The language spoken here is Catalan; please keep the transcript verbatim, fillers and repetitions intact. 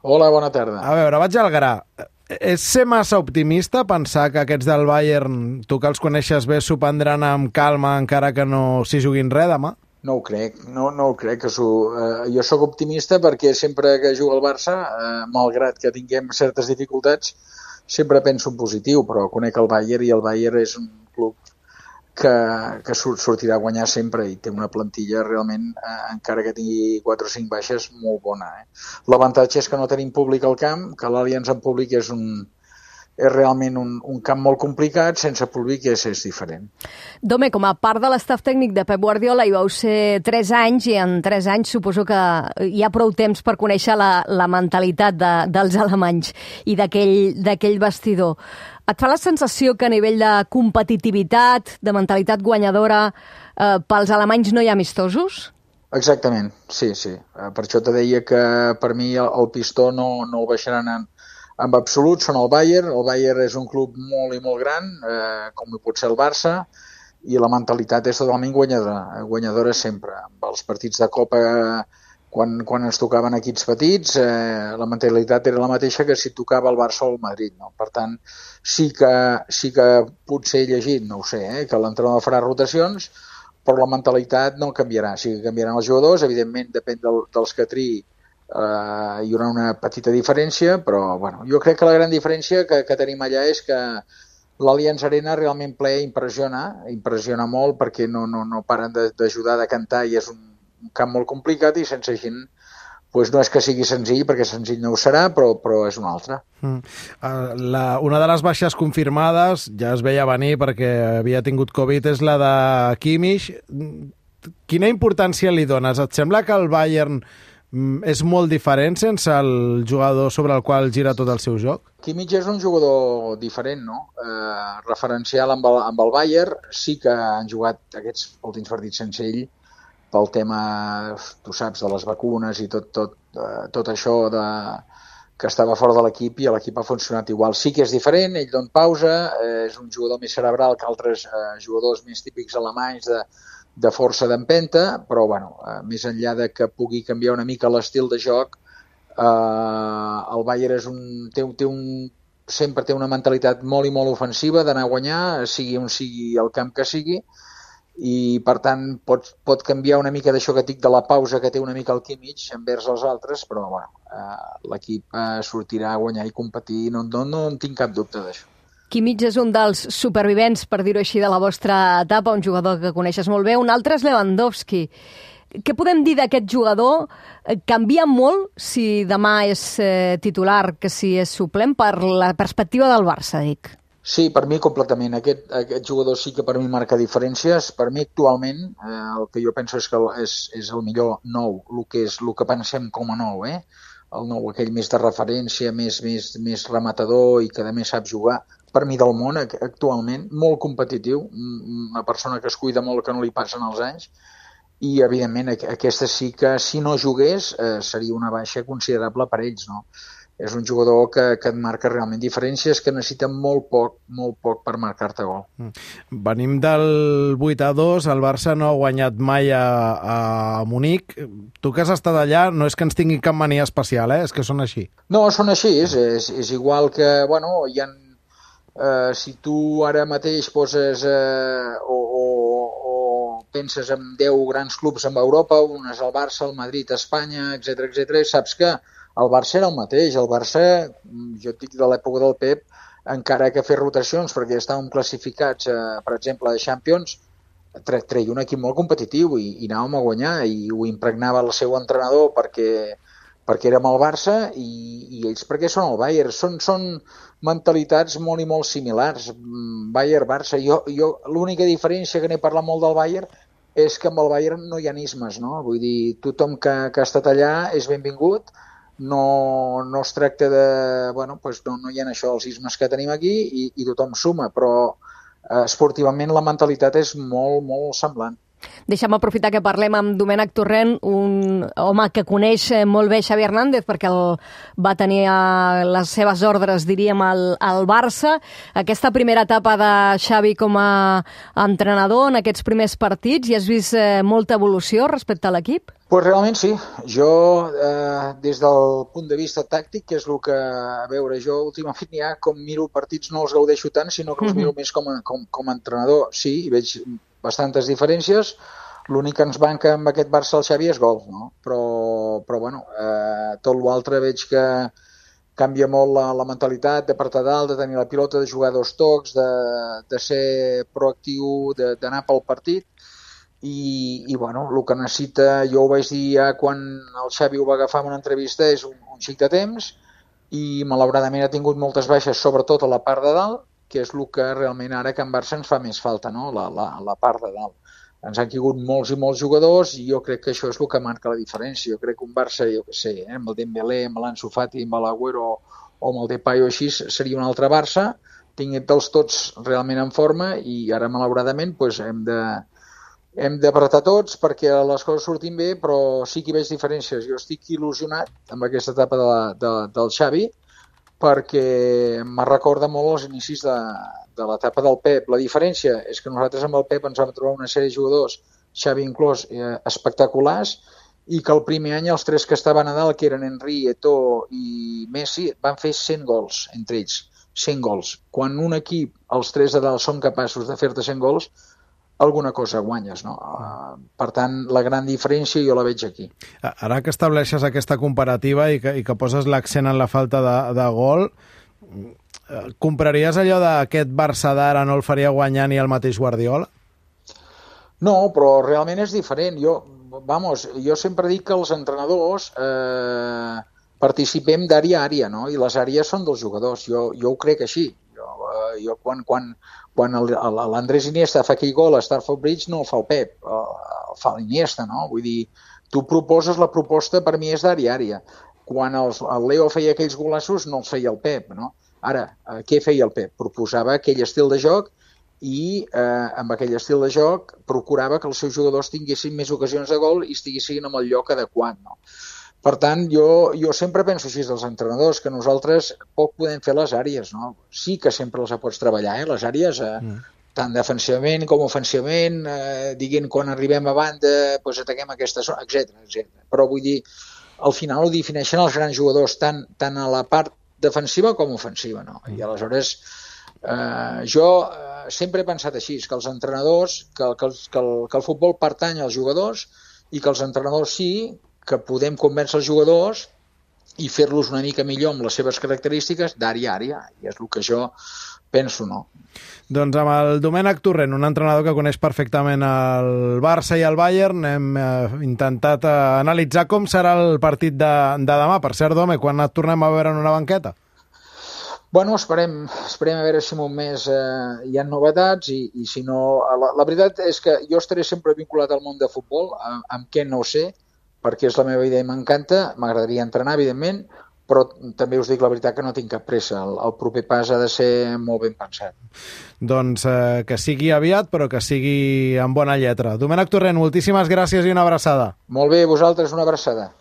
Hola, bona tarda. A veure, vaig al gra. És ser massa optimista pensar que aquests del Bayern, tu que els coneixes bé, s'ho prendran amb calma encara que no s'hi juguin res demà? No ho crec, no, no ho crec. Que s'ho, eh, jo sóc optimista perquè sempre que juga el Barça, eh, malgrat que tinguem certes dificultats, sempre penso en positiu, però conec el Bayern i el Bayern és un club que, que sortirà a guanyar sempre i té una plantilla realment, eh, encara que tingui quatre o cinc baixes, molt bona. Eh? L'avantatge és que no tenim públic al camp, que l'Allianz en públic és un, és realment un, un camp molt complicat, sense públic és, és diferent. Dome, com a part de l'estaf tècnic de Pep Guardiola hi vau ser tres anys i en tres anys suposo que hi ha prou temps per conèixer la, la mentalitat de, dels alemanys i d'aquell vestidor. Et fa la sensació que a nivell de competitivitat, de mentalitat guanyadora, eh, pels alemanys no hi ha amistosos? Exactament, sí, sí. Per això te deia que per mi el, el pistó no, no el baixaran en, en absolut, són el Bayern. El Bayern és un club molt i molt gran, eh, com hi pot ser el Barça, i la mentalitat és totalment guanyadora, guanyadora sempre. Amb els partits de Copa, quan, quan ens tocaven equips petits, eh, la mentalitat era la mateixa que si tocava el Barça o el Madrid. No? Per tant, sí que, sí que potser he llegit, no ho sé, eh, que l'entrenador farà rotacions, però la mentalitat no canviarà. Sí que canviaran els jugadors, evidentment depèn del, dels que triï, eh, hi haurà una petita diferència, però bueno, jo crec que la gran diferència que, que tenim allà és que l'Allianz Arena realment ple impressiona, impressiona molt perquè no, no, no paren d'ajudar, de cantar, i és un, un camp molt complicat i sense gent pues no és que sigui senzill, perquè senzill no ho serà, però, però és una altra. Mm. La, una de les baixes confirmades, ja es veia venir perquè havia tingut Covid, és la de Kimmich. Quina importància li dones? Et sembla que el Bayern és molt diferent sense el jugador sobre el qual gira tot el seu joc? Kimmich és un jugador diferent, no? Eh, referencial amb el, amb el Bayern. Sí que han jugat aquests últims partits sense ell, pel tema, tu saps, de les vacunes i tot, tot, eh, tot això de, que estava fora de l'equip, i l'equip ha funcionat igual. Sí que és diferent, ell dona pausa, eh, és un jugador més cerebral que altres eh, jugadors més típics alemanys de, de força d'empenta, però bueno, eh, més enllà de que pugui canviar una mica l'estil de joc, eh, el Bayern és un, té, té un, sempre té una mentalitat molt i molt ofensiva d'anar a guanyar, sigui on sigui el camp que sigui, i per tant pot, pot canviar una mica d'això que dic de la pausa que té una mica el Kimmich envers els altres, però bueno, eh, l'equip eh, sortirà a guanyar i competir, no, no, no en tinc cap dubte d'això. Kimmich és un dels supervivents, per dir-ho així, de la vostra etapa, un jugador que coneixes molt bé. Un altre és Lewandowski. Què podem dir d'aquest jugador? Canvia molt si demà és eh, titular que si és suplent, per la perspectiva del Barça, dic. Sí, per mi completament. Aquest, aquest jugador sí que per mi marca diferències. Per mi actualment eh, el que jo penso és que és, és el millor nou, el que, és, el que pensem com a nou, eh? El nou aquell més de referència, més, més, més rematador i que a més sap jugar. Per mi del món actualment, molt competitiu, una persona que es cuida molt, que no li passen els anys, i evidentment aquesta sí que si no jugués eh, seria una baixa considerable per ells, no? És un jugador que, que et marca realment diferències, que necessita molt poc, molt poc per marcar-te gol. Venim del vuit a dos, el Barça no ha guanyat mai a, a Munic. Tu que has estat allà, no és que ens tingui cap mania especial, eh? És que són així. No, són així, és, és, és igual que, bueno, hi ha, eh, si tu ara mateix poses eh, o, o, o penses en deu grans clubs en Europa, un és el Barça, el Madrid, Espanya, etcètera, etcètera, i saps que el Barça era el mateix. El Barça, jo et dic de l'època del Pep, encara que fer rotacions, perquè estàvem classificats, eh, per exemple, a Champions, tre treia un equip molt competitiu i, i anàvem a guanyar, i ho impregnava el seu entrenador perquè, perquè érem el Barça i, i ells perquè són el Bayern. Són, són mentalitats molt i molt similars. Bayern-Barça. Jo, jo, l'única diferència que n'he parlat molt del Bayern és que amb el Bayern no hi ha ismes, no? Vull dir, tothom que, que ha estat allà és benvingut. No, no es tracta de... Bueno, doncs no, no hi ha això, els ismes que tenim aquí, i, i tothom suma, però eh, esportivament la mentalitat és molt, molt semblant. Deixa'm aprofitar que parlem amb Domènec Torrent, un home que coneix molt bé Xavi Hernández perquè el va tenir a les seves ordres, diríem, al, al Barça. Aquesta primera etapa de Xavi com a entrenador en aquests primers partits, hi has vist eh, molta evolució respecte a l'equip? Pues realment sí. Jo, eh, des del punt de vista tàctic, que és el que, a veure, jo últimament ja com miro partits no els gaudeixo tant, sinó que els miro més com a, com, com a entrenador. Sí, hi veig bastantes diferències. L'únic que ens banca amb aquest Barça el Xavi és gol, no? Però, però bueno, eh, tot l'altre veig que canvia molt la, la mentalitat d'apartar dalt, de tenir la pilota, de jugar dos tocs, de, de ser proactiu, d'anar pel partit. I, i bueno, el que necessita, jo ho vaig dir ja quan el Xavi ho va agafar en una entrevista, és un, un xic de temps, i malauradament ha tingut moltes baixes, sobretot a la part de dalt, que és el que realment ara que en Barça ens fa més falta, no? la, la, la part de dalt. Ens han caigut molts i molts jugadors i jo crec que això és el que marca la diferència. Jo crec que un Barça, jo què sé, eh, amb el Dembélé, amb l'Ansu Fati, amb l'Agüero o amb el Depay o així, seria un altre Barça, tinguent-los tots realment en forma i ara, malauradament, doncs, hem de hem d'apretar tots perquè les coses surtin bé, però sí que hi veig diferències. Jo estic il·lusionat amb aquesta etapa de la, de, del Xavi perquè me recorda molt els inicis de, de l'etapa del Pep. La diferència és que nosaltres amb el Pep ens vam trobar una sèrie de jugadors, Xavi inclòs, eh, espectaculars, i que el primer any els tres que estaven a dalt, que eren Henry, Eto'o i Messi, van fer cent gols entre ells, cent gols. Quan un equip, els tres de dalt, són capaços de fer-te cent gols, alguna cosa guanyes, no? Uh, per tant, la gran diferència jo la veig aquí. Ara que estableixes aquesta comparativa i que, i que poses l'accent en la falta de, de gol, compraries allò d'aquest Barça d'ara no el faria guanyar ni el mateix Guardiola? No, però realment és diferent. Jo, vamos, jo sempre dic que els entrenadors eh, participem d'àrea a àrea, no? I les àrees són dels jugadors. Jo, jo ho crec així. Jo, eh, jo quan... quan Quan l'Andrés Iniesta fa aquell gol a Stamford Bridge no el fa el Pep, el fa l'Iniesta, no? Vull dir, tu proposes, la proposta per mi és d'àrea a àrea. Quan els, el Leo feia aquells golassos no els feia el Pep, no? Ara, eh, què feia el Pep? Proposava aquell estil de joc i eh, amb aquell estil de joc procurava que els seus jugadors tinguessin més ocasions de gol i estiguessin en el lloc adequat, no? Per tant, jo, jo sempre penso així dels entrenadors, que nosaltres poc podem fer les àrees, no? Sí que sempre les pots treballar, eh? Les àrees, eh? Mm. Tant defensivament com ofensivament, eh, diguent quan arribem a banda, doncs ataquem aquesta zona, etcètera, etcètera. Però vull dir, al final ho defineixen els grans jugadors, tant, tant a la part defensiva com ofensiva, no? I aleshores, eh, jo eh, sempre he pensat així, que els entrenadors, que, que, el, que, el, que el futbol pertany als jugadors i que els entrenadors sí, que podem convèncer els jugadors i fer-los una mica millor amb les seves característiques d'àrea a àrea, i és el que jo penso, no? Doncs amb el Domènec Torrent, un entrenador que coneix perfectament el Barça i el Bayern, hem eh, intentat eh, analitzar com serà el partit de, de demà. Per cert, Dome, quan et tornem a veure en una banqueta? Bueno, esperem, esperem a veure si en un mes eh, hi ha novetats i, i si no... La, la veritat és que jo estaré sempre vinculat al món de futbol, amb, amb què no ho sé, perquè és la meva idea i m'encanta, m'agradaria entrenar, evidentment, però també us dic la veritat que no tinc cap pressa. El, el proper pas ha de ser molt ben pensat. Doncs eh, que sigui aviat, però que sigui amb bona lletra. Domènec Torrent, moltíssimes gràcies i una abraçada. Molt bé, vosaltres una abraçada.